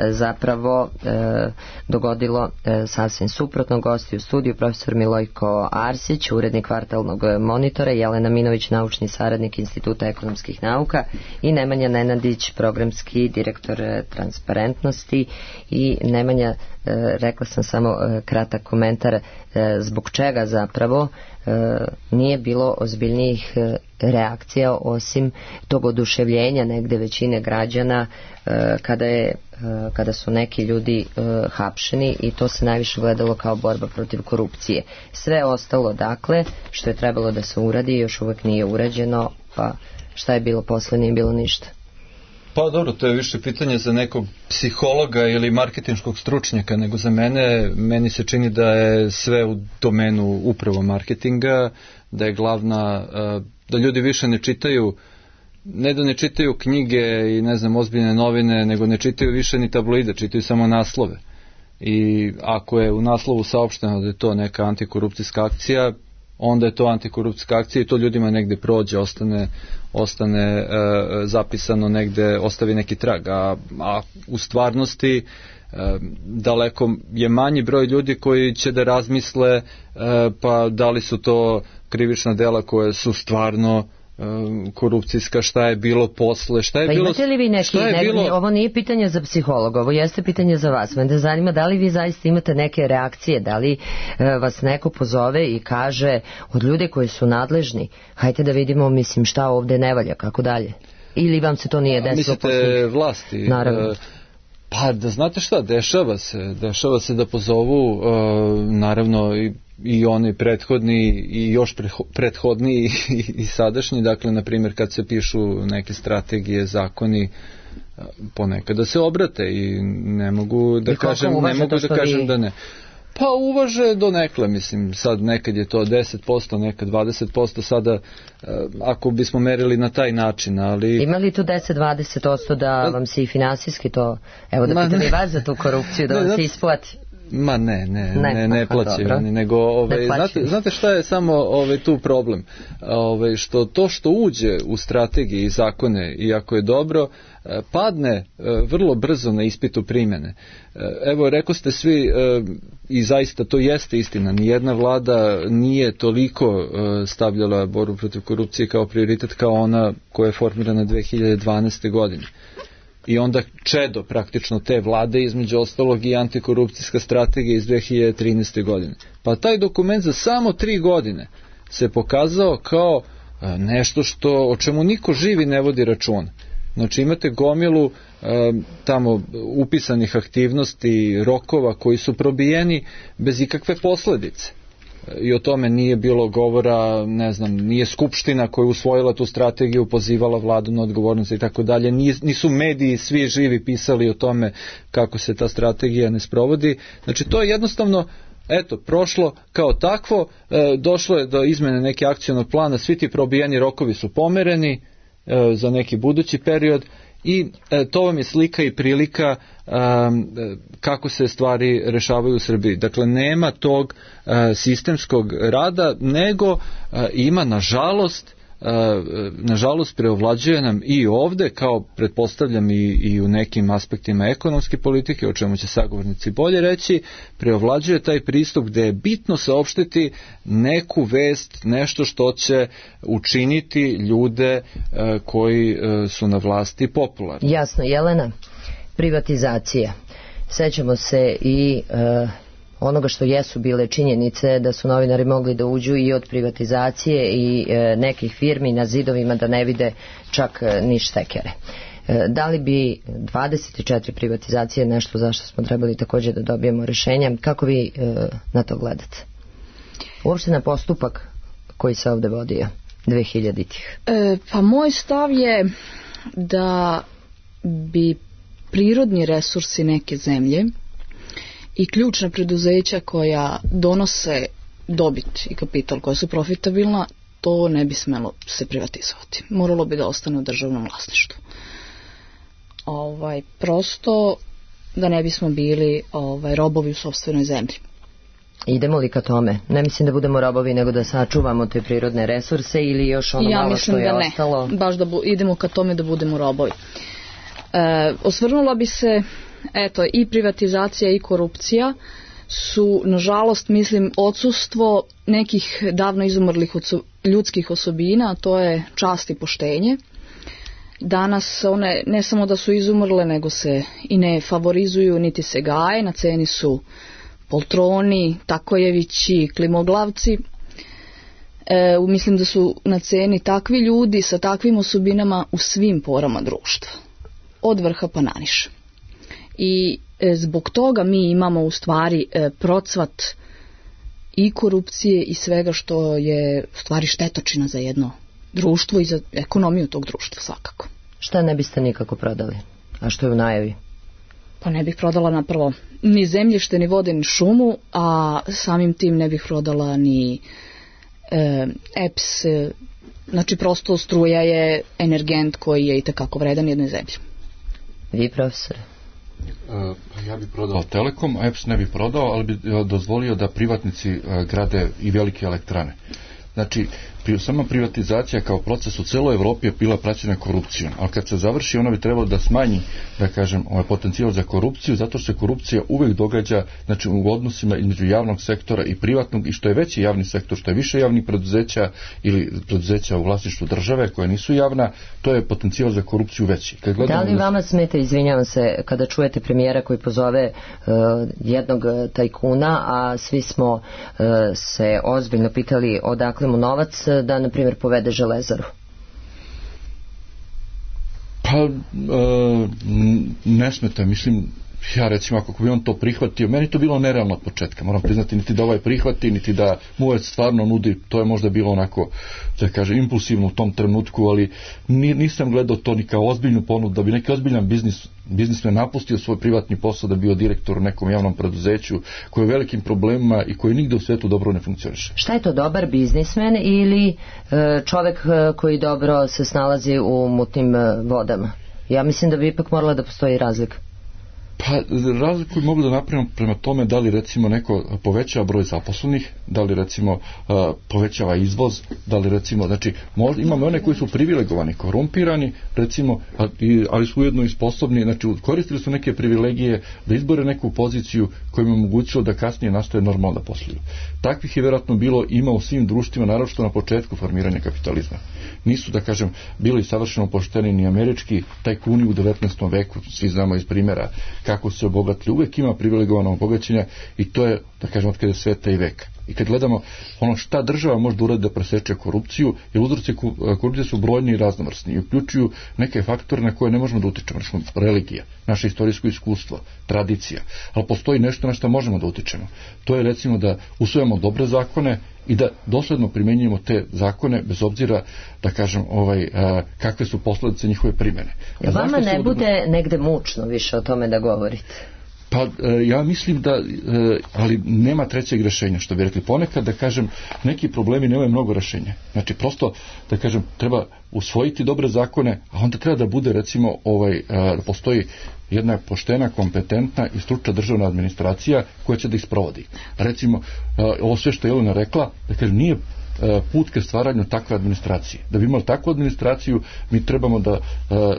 Speaker 2: zapravo e, dogodilo e, sasvim suprotno. Gosti u studiju profesor Milojko Arsić, urednik Kvartalnog monitora, Jelena Minović, naučni saradnik Instituta ekonomskih nauka i Nemanja Nenadić, programski direktor transparentnosti. I Nemanja, rekla sam samo kratak komentar zbog čega zapravo nije bilo ozbiljnijih reakcija osim tog oduševljenja negde većine građana kada je kada su neki ljudi hapšeni i to se najviše gledalo kao borba protiv korupcije. Sve ostalo, dakle, što je trebalo da se uradi, još uvek nije urađeno, pa šta je bilo posle, nije bilo ništa.
Speaker 3: Pa dobro, to je više pitanje za nekog psihologa ili marketinškog stručnjaka nego za mene. Meni se čini da je sve u domenu upravo marketinga, da je glavna, da ljudi više ne čitaju, ne da ne čitaju knjige i ne znam ozbiljne novine, nego ne čitaju više ni tabloide, čitaju samo naslove. I ako je u naslovu saopšteno da je to neka antikorupcijska akcija, onda je to antikorupcijska akcija i to ljudima negde prođe, ostane, ostane e, zapisano negde, ostavi neki trag. A, a u stvarnosti e, daleko je manji broj ljudi koji će da razmisle e, pa da li su to krivična dela koje su stvarno korupcijska, šta je bilo posle, šta je
Speaker 2: pa
Speaker 3: bilo...
Speaker 2: Pa imate li vi neki, ne, bilo... ovo nije pitanje za psihologa, ovo jeste pitanje za vas. Mene zanima da li vi zaista imate neke reakcije, da li e, vas neko pozove i kaže od ljude koji su nadležni, hajte da vidimo, mislim, šta ovde ne valja, kako dalje. Ili vam se to nije desilo?
Speaker 3: Mislite posle... vlasti?
Speaker 2: Naravno.
Speaker 3: Pa da znate šta, dešava se, dešava se da pozovu, uh, naravno i, i oni prethodni i još prethodni i, i sadašnji, dakle na primjer kad se pišu neke strategije, zakoni, ponekad da se obrate i ne mogu da kažem, ne mogu da kažem vi... da ne. Pa uvaže do nekle, mislim, sad nekad je to deset posto, nekad dvadeset posto, sada ako bismo merili na taj način, ali...
Speaker 2: Ima li tu deset do dvadeset posto da vam se i finansijski to, evo da pitam i vas za tu korupciju, da vam se isplati?
Speaker 3: Ma ne, ne, ne, ne, ne plaćaju oni, nego, ove, znate, znate šta je samo ove, tu problem? Ove, što to što uđe u strategije i zakone, iako je dobro, padne vrlo brzo na ispitu primjene. Evo, rekao ste svi, i zaista to jeste istina, nijedna vlada nije toliko stavljala borbu protiv korupcije kao prioritet kao ona koja je formirana dve hiljade dvanaeste. godine. I onda čedo praktično te vlade, između ostalog i antikorupcijska strategija iz dve hiljade trinaeste. godine. Pa taj dokument za samo tri godine se pokazao kao nešto što, o čemu niko živi ne vodi račun. Znači imate gomilu e, tamo upisanih aktivnosti, rokova koji su probijeni bez ikakve posledice. I o tome nije bilo govora, ne znam, nije skupština koja je usvojila tu strategiju, pozivala vladu na odgovornost i tako dalje, nisu mediji svi živi pisali o tome kako se ta strategija ne sprovodi. Znači to je jednostavno, eto, prošlo kao takvo, e, došlo je do izmene neke akcionog plana, svi ti probijeni rokovi su pomereni e, za neki budući period i e, to vam je slika i prilika e, kako se stvari rešavaju u Srbiji. Dakle, nema tog e, sistemskog rada, nego e, ima nažalost nažalost preovlađuje nam i ovde, kao pretpostavljam i, i u nekim aspektima ekonomske politike, o čemu će sagovornici bolje reći, preovlađuje taj pristup gde je bitno saopštiti neku vest, nešto što će učiniti ljude koji su na vlasti popularni.
Speaker 2: Jasno, Jelena, privatizacija. Sećamo se i uh, onoga što jesu bile činjenice da su novinari mogli da uđu i od privatizacije i e, nekih firmi na zidovima da ne vide čak e, ni štekere. E, da li bi dvadeset četiri privatizacije nešto za što smo trebali također da dobijemo rješenja? Kako vi e, na to gledate? Uopšte na postupak koji se ovde vodio dve hiljaditih.
Speaker 5: E, pa moj stav je da bi prirodni resursi neke zemlje i ključna preduzeća koja donose dobit i kapital, koja su profitabilna, to ne bi smelo se privatizovati. Moralo bi da ostane u državnom vlasništvu. Ovaj, prosto da ne bismo bili ovaj, robovi u sopstvenoj zemlji.
Speaker 2: Idemo li ka tome? Ne mislim da budemo robovi, nego da sačuvamo te prirodne resurse ili još ono
Speaker 5: ja
Speaker 2: malo što je
Speaker 5: da
Speaker 2: ostalo?
Speaker 5: Ne. Baš da bu, idemo ka tome da budemo robovi. E, osvrnula bi se, eto, i privatizacija i korupcija su, nažalost, mislim, odsustvo nekih davno izumrlih ljudskih osobina, a to je čast i poštenje. Danas one ne samo da su izumrle, nego se i ne favorizuju, niti se gaje, na ceni su poltroni, takojevići, klimoglavci. E, mislim da su na ceni takvi ljudi sa takvim osobinama u svim porama društva, od vrha pa naniže. I e, zbog toga mi imamo u stvari e, procvat i korupcije i svega što je u stvari štetočina za jedno društvo i za ekonomiju tog društva svakako.
Speaker 2: Šta ne biste nikako prodali? A što je u najavi?
Speaker 5: Pa ne bih prodala na prvo ni zemljište, ni vode, ni šumu, a samim tim ne bih prodala ni e, E P S, e, znači prosto struja je energent koji je itekako vredan jednoj zemlji.
Speaker 2: Vi, profesor?
Speaker 6: Uh, ja bih prodao Telekom, a E P S ne bih prodao, ali bi dozvolio da privatnici uh, grade i velike elektrane. Znači, pri, sama privatizacija kao proces u celoj Evropi je bila praćena korupcijom, ali kad se završi ona bi trebalo da smanji, da kažem, ovaj potencijal za korupciju, zato što se korupcija uvek događa, znači, u odnosima između javnog sektora i privatnog, i što je veći javni sektor, što je više javnih preduzeća ili preduzeća u vlasništvu države koje nisu javna, to je potencijal za korupciju veći. Kad
Speaker 2: da li vama smeta, izvinjavam se, kada čujete premijera koji pozove uh, jednog tajkuna, a svi smo uh, se ozbiljno pitali odakle mu novac da, na primjer, povede Železaru?
Speaker 6: Pa, e, ne smeta, mislim, ja recimo ako bi on to prihvatio, meni to bilo nerealno od početka, moram priznati, niti da ovaj prihvati, niti da mu ovaj stvarno nudi, to je možda bilo onako, da kažem, impulsivno u tom trenutku, ali nisam gledao to ni kao ozbiljnu ponudu, da bi neki ozbiljan biznis, biznismen napustio svoj privatni posao da bio direktor u nekom javnom preduzeću koji je u velikim problemima i koji nigde u svetu dobro ne funkcioniše.
Speaker 2: Šta je to, dobar biznismen ili čovek koji dobro se snalazi u mutnim vodama? Ja mislim da bi ipak morala da postoji razlika.
Speaker 6: Pa razliku bi mogli da napravimo prema tome da li recimo neko povećava broj zaposlenih, da li recimo uh, povećava izvoz, da li recimo, znači možda, imamo one koji su privilegovani, korumpirani recimo, ali su ujedno i sposobni, znači koristili su neke privilegije da izbore neku poziciju koja im omogućilo da kasnije nastaje normalno da posluju. Takvih je vjerojatno bilo, ima u svim društvima, naročito na početku formiranja kapitalizma. Nisu, da kažem, bili savršeno pošteni ni američki tajkuni u devetnaestom veku, svi znamo iz primjera kako se obogatili, uvijek ima privilegovano obogaćenja i to je, da kažem, od kada je sveta i veka. I kad gledamo ono šta država može da uradi da preseče korupciju, jer uzroci korupcije su brojni i raznovrsni i uključuju neke faktore na koje ne možemo da utičemo, znači religija, naše istorijsko iskustvo, tradicija, ali postoji nešto na što možemo da utičemo. To je recimo da usvojamo dobre zakone i da dosledno primjenjujemo te zakone bez obzira, da kažem, ovaj, a, kakve su posljedice njihove primjene.
Speaker 2: Ja vama ne bude odobno... negde mučno više o tome da govorite?
Speaker 6: Pa ja mislim da, ali nema trećeg rješenja, što bi rekli ponekad, da kažem, neki problemi nemaju mnogo rješenja. Znači prosto, da kažem, treba usvojiti dobre zakone, a onda treba da bude recimo, ovaj, da postoji jedna poštena, kompetentna i stručna državna administracija koja će da ih sprovodi. Recimo, ovo sve što je Jelena rekla, da kažem, nije put ka stvaranju takve administracije. Da bi imali takvu administraciju, mi trebamo da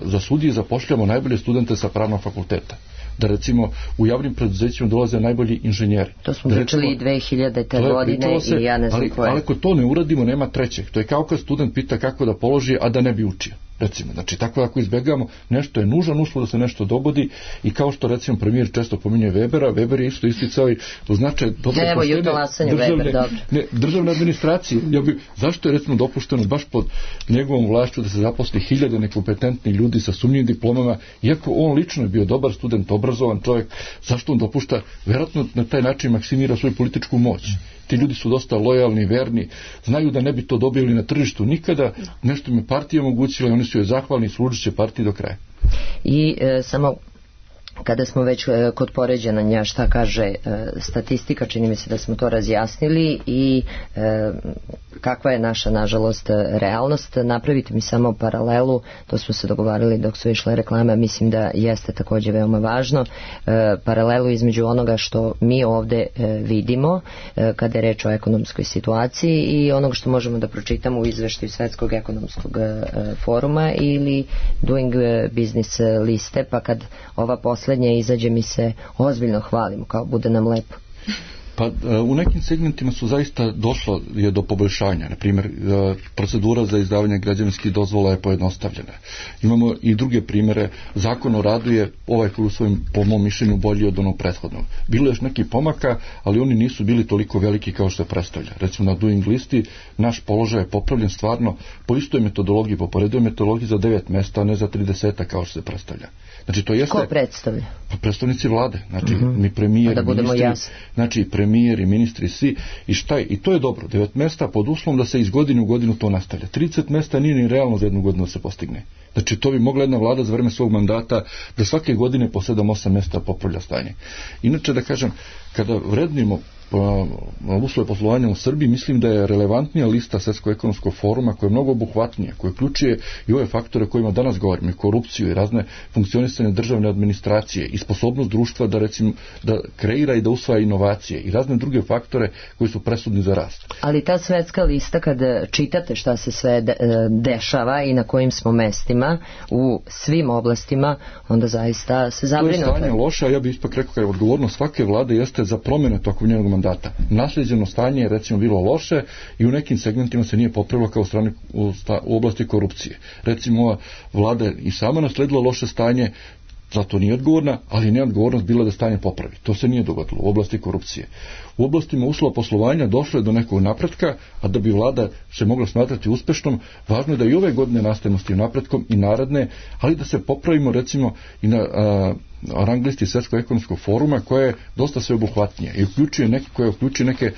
Speaker 6: za sudije zapošljamo najbolje studente sa pravnog fakulteta. Da recimo u javnim preduzećima dolaze najbolji inženjeri.
Speaker 2: To smo pričali i dve hiljadite godine se, i ja ne znam
Speaker 6: ali,
Speaker 2: koje.
Speaker 6: Ali ako to ne uradimo, nema trećeg. To je kao kad student pita kako da položi, a da ne bi učio. Recimo, znači tako ako izbjegamo, nešto je nužan uslov da se nešto dogodi i kao što recimo premijer često pominje Webera, Weber je isto isticao i to znači dobro
Speaker 2: Evo, poštene državne, Weber,
Speaker 6: ne, državne administracije. Ja bi, zašto je recimo dopušteno baš pod njegovom vlašću da se zaposli hiljade nekompetentnih ljudi sa sumnjivim diplomama, iako on lično je bio dobar student, obrazovan čovjek, zašto on dopušta, vjerojatno na taj način maksimira svoju političku moć. Ti ljudi su dosta lojalni, verni, znaju da ne bi to dobili na tržištu nikada, nešto im je partija omogućila i oni su joj zahvalni i služit će partiji do kraja.
Speaker 2: I e, samo kada smo već e, kod poređenja šta kaže e, statistika, čini mi se da smo to razjasnili i e, kakva je naša, nažalost, realnost. Napravite mi samo paralelu, to smo se dogovarali dok su išle reklame, mislim da jeste također veoma važno, e, paralelu između onoga što mi ovde e, vidimo e, kada je reč o ekonomskoj situaciji i onoga što možemo da pročitamo u izveštaju Svetskog ekonomskog e, foruma ili Doing Business liste, pa kad ova posljednja izađe mi se ozbiljno hvalimo, kao bude nam lepo.
Speaker 6: Pa u nekim segmentima su zaista došlo je do poboljšanja. Na primjer, procedura za izdavanje građevinskih dozvola je pojednostavljena. Imamo i druge primjere. Zakon o radu je ovaj koji u svojim, po mom mišljenju, bolji od onog prethodnog. Bilo je još neki pomaka, ali oni nisu bili toliko veliki kao što se predstavlja. Recimo na Doing listi naš položaj je popravljen stvarno po istoj metodologiji, po poredoj metodologiji za devet mesta, a ne za trideset kao što se predstavlja. Znači to jeste...
Speaker 2: Ko predstavlja?
Speaker 6: Pa predstavnici vlade, znači uh-huh. mi premijer,
Speaker 2: da budemo
Speaker 6: ministri,
Speaker 2: jasni.
Speaker 6: znači premijer i ministri svi i šta je, i to je dobro, devet mesta pod uslovom da se iz godine u godinu to nastavlja. trideset mesta nije ni realno za jednu godinu da se postigne. Znači to bi mogla jedna vlada za vreme svog mandata da svake godine po sedam osam mesta popravlja stanje. Inače da kažem, kada vrednimo uslove poslovanja u Srbiji, mislim da je relevantnija lista Svjetskog ekonomskog foruma koja je mnogo obuhvatnija, koja uključuje i ove faktore o kojima danas govorimo, i korupciju i razne funkcionisanje državne administracije i sposobnost društva da recimo da kreira i da usvaja inovacije i razne druge faktore koji su presudni za rast.
Speaker 2: Ali ta svetska lista, kad čitate šta se sve de, dešava i na kojim smo mestima u svim oblastima, onda zaista se zabrinuti.
Speaker 6: To je stanje loše, a ja bih ipak rekao kada je odgovornost svake vlade jeste za promjene tokom njenog mandata. Naslijeđeno stanje je recimo bilo loše i u nekim segmentima se nije popravilo kao u, strani, u, sta, u oblasti korupcije. Recimo ova vlada i sama nasledila loše stanje, zato nije odgovorna, ali nije odgovornost bila da stanje popravi. To se nije dogodilo u oblasti korupcije. U oblastima uslova poslovanja došlo je do nekog napretka, a da bi vlada se mogla smatrati uspešnom, važno je da i ove godine nastavimo s tim napretkom i naredne, ali da se popravimo recimo i na a, rang listi Svjetskog ekonomskog foruma koja je dosta sveobuhvatnija i uključuje neke, koja uključuje neke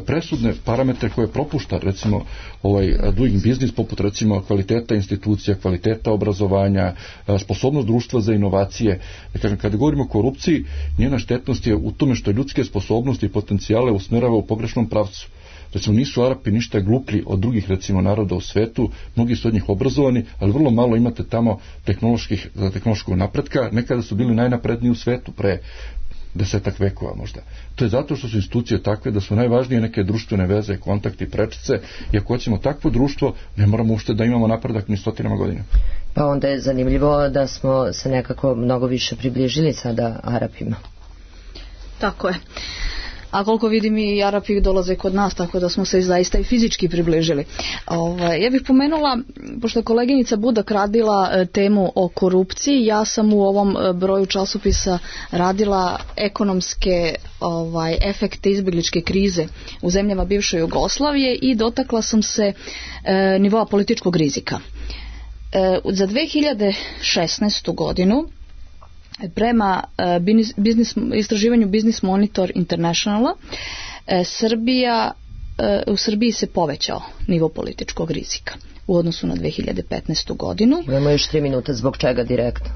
Speaker 6: presudne parametre koje propušta, recimo ovaj doing business, poput recimo kvaliteta institucija, kvaliteta obrazovanja, sposobnost društva za inovacije. Da kažem, kada govorimo o korupciji, njena štetnost je u tome što ljudske sposobnosti i potencijale usmerava u pogrešnom pravcu. Recimo, nisu Arapi ništa gluplji od drugih, recimo, naroda u svetu, mnogi su od njih obrazovani, ali vrlo malo imate tamo tehnoloških, tehnološkog napretka, nekada su bili najnapredniji u svetu pre desetak vekova možda. To je zato što su institucije takve da su najvažnije neke društvene veze, kontakti, prečice, i ako hoćemo takvo društvo, ne moramo ušte da imamo napredak ni stotinama godina.
Speaker 2: Pa onda je zanimljivo da smo se nekako mnogo više približili sada Arapima.
Speaker 5: Tako je. A koliko vidim i Arapi dolaze kod nas, tako da smo se zaista i fizički približili. Ovaj, ja bih pomenula, pošto je koleginica Budak radila e, temu o korupciji, ja sam u ovom e, broju časopisa radila ekonomske ovaj, efekte izbjegličke krize u zemljama bivše Jugoslavije i dotakla sam se e, nivoa političkog rizika. E, za dve hiljade šesnaestu godinu prema uh, biznis, istraživanju Business Monitor Internationala, uh, Srbija, uh, u Srbiji se povećao nivo političkog rizika u odnosu na dve hiljade petnaestu godinu.
Speaker 2: Imamo još tri minuta, zbog čega direktno?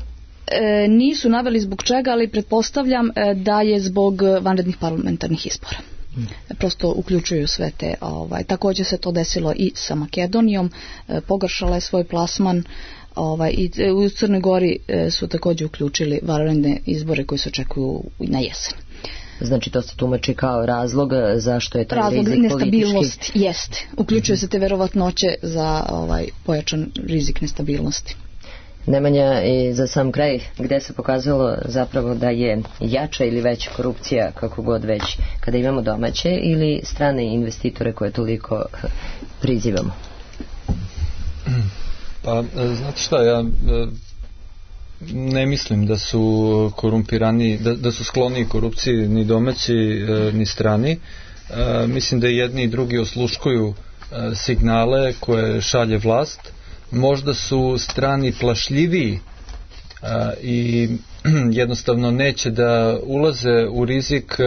Speaker 5: E, nisu naveli zbog čega, ali pretpostavljam e, da je zbog vanrednih parlamentarnih izbora. Hmm. Prosto uključuju sve te, ovaj, također se to desilo i sa Makedonijom, e, pogoršala je svoj plasman. Ovaj, i u Crnoj Gori e, su također uključili vanredne izbore koji se očekuju na jesen.
Speaker 2: Znači to se tumači kao razlog zašto je taj
Speaker 5: razlog
Speaker 2: rizik
Speaker 5: nestabilnost
Speaker 2: politički?
Speaker 5: Jeste. Uključuje se te verovatnoće za ovaj, pojačan rizik nestabilnosti.
Speaker 2: Nemanja, i za sam kraj, gde se pokazalo zapravo da je jača ili veća korupcija, kako god već, kada imamo domaće ili strane investitore koje toliko prizivamo?
Speaker 3: Pa, znate šta, ja ne mislim da su korumpirani, da, da su skloni korupciji ni domaći ni strani. Mislim da jedni i drugi osluškuju signale koje šalje vlast. Možda su strani plašljiviji i jednostavno neće da ulaze u rizik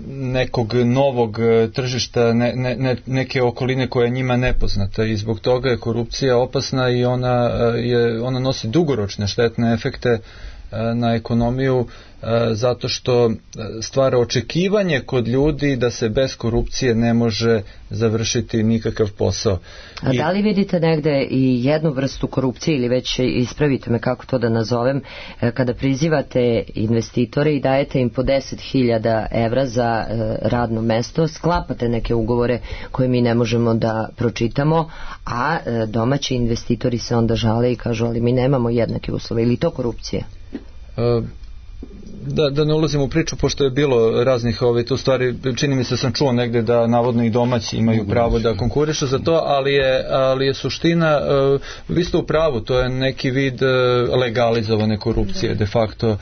Speaker 3: nekog novog tržišta, ne, ne, neke okoline koja je njima nepoznata, i zbog toga je korupcija opasna i ona, je, ona nosi dugoročne štetne efekte na ekonomiju, zato što stvara očekivanje kod ljudi da se bez korupcije ne može završiti nikakav posao.
Speaker 2: A I... da li vidite negde i jednu vrstu korupcije, ili već ispravite me kako to da nazovem, kada prizivate investitore i dajete im po deset hiljada evra za radno mesto, sklapate neke ugovore koje mi ne možemo da pročitamo, a domaći investitori se onda žale i kažu, ali mi nemamo jednake uslove, ili to korupcija?
Speaker 3: Uh, Da, da ne ulazim u priču, pošto je bilo raznih ove, tu stvari, čini mi se sam čuo negde da navodno i domaći imaju pravo da konkurišu za to, ali je, ali je suština, uh, vi ste u pravu, to je neki vid uh, legalizovane korupcije de facto, uh,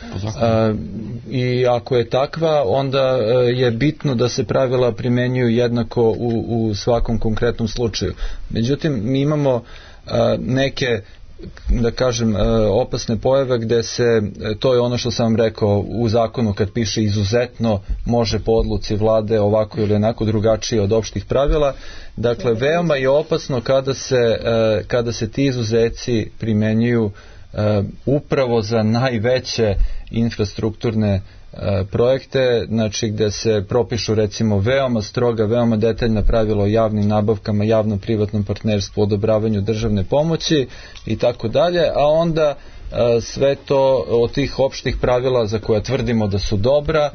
Speaker 3: i ako je takva, onda uh, je bitno da se pravila primenjuju jednako u, u svakom konkretnom slučaju. Međutim, mi imamo uh, neke, da kažem, opasne pojave gde se, to je ono što sam vam rekao, u zakonu kad piše izuzetno može po odluci vlade ovako ili onako drugačije od opštih pravila. Dakle, veoma je opasno kada se, kada se ti izuzeci primenjuju upravo za najveće infrastrukturne projekte, znači gde se propišu recimo veoma stroga, veoma detaljna pravila o javnim nabavkama, javno-privatnom partnerstvu, odobravanju državne pomoći i tako dalje, a onda sve to od tih opštih pravila za koja tvrdimo da su dobra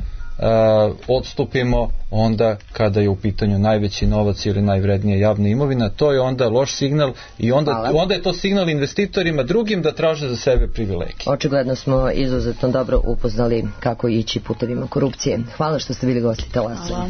Speaker 3: odstupimo onda kada je u pitanju najveći novac ili najvrednija javna imovina. To je onda loš signal i onda, onda je to signal investitorima drugim da traže za sebe privilegije.
Speaker 2: Očigledno smo izuzetno dobro upoznali kako ići putevima korupcije. Hvala što ste bili gosti Talasa.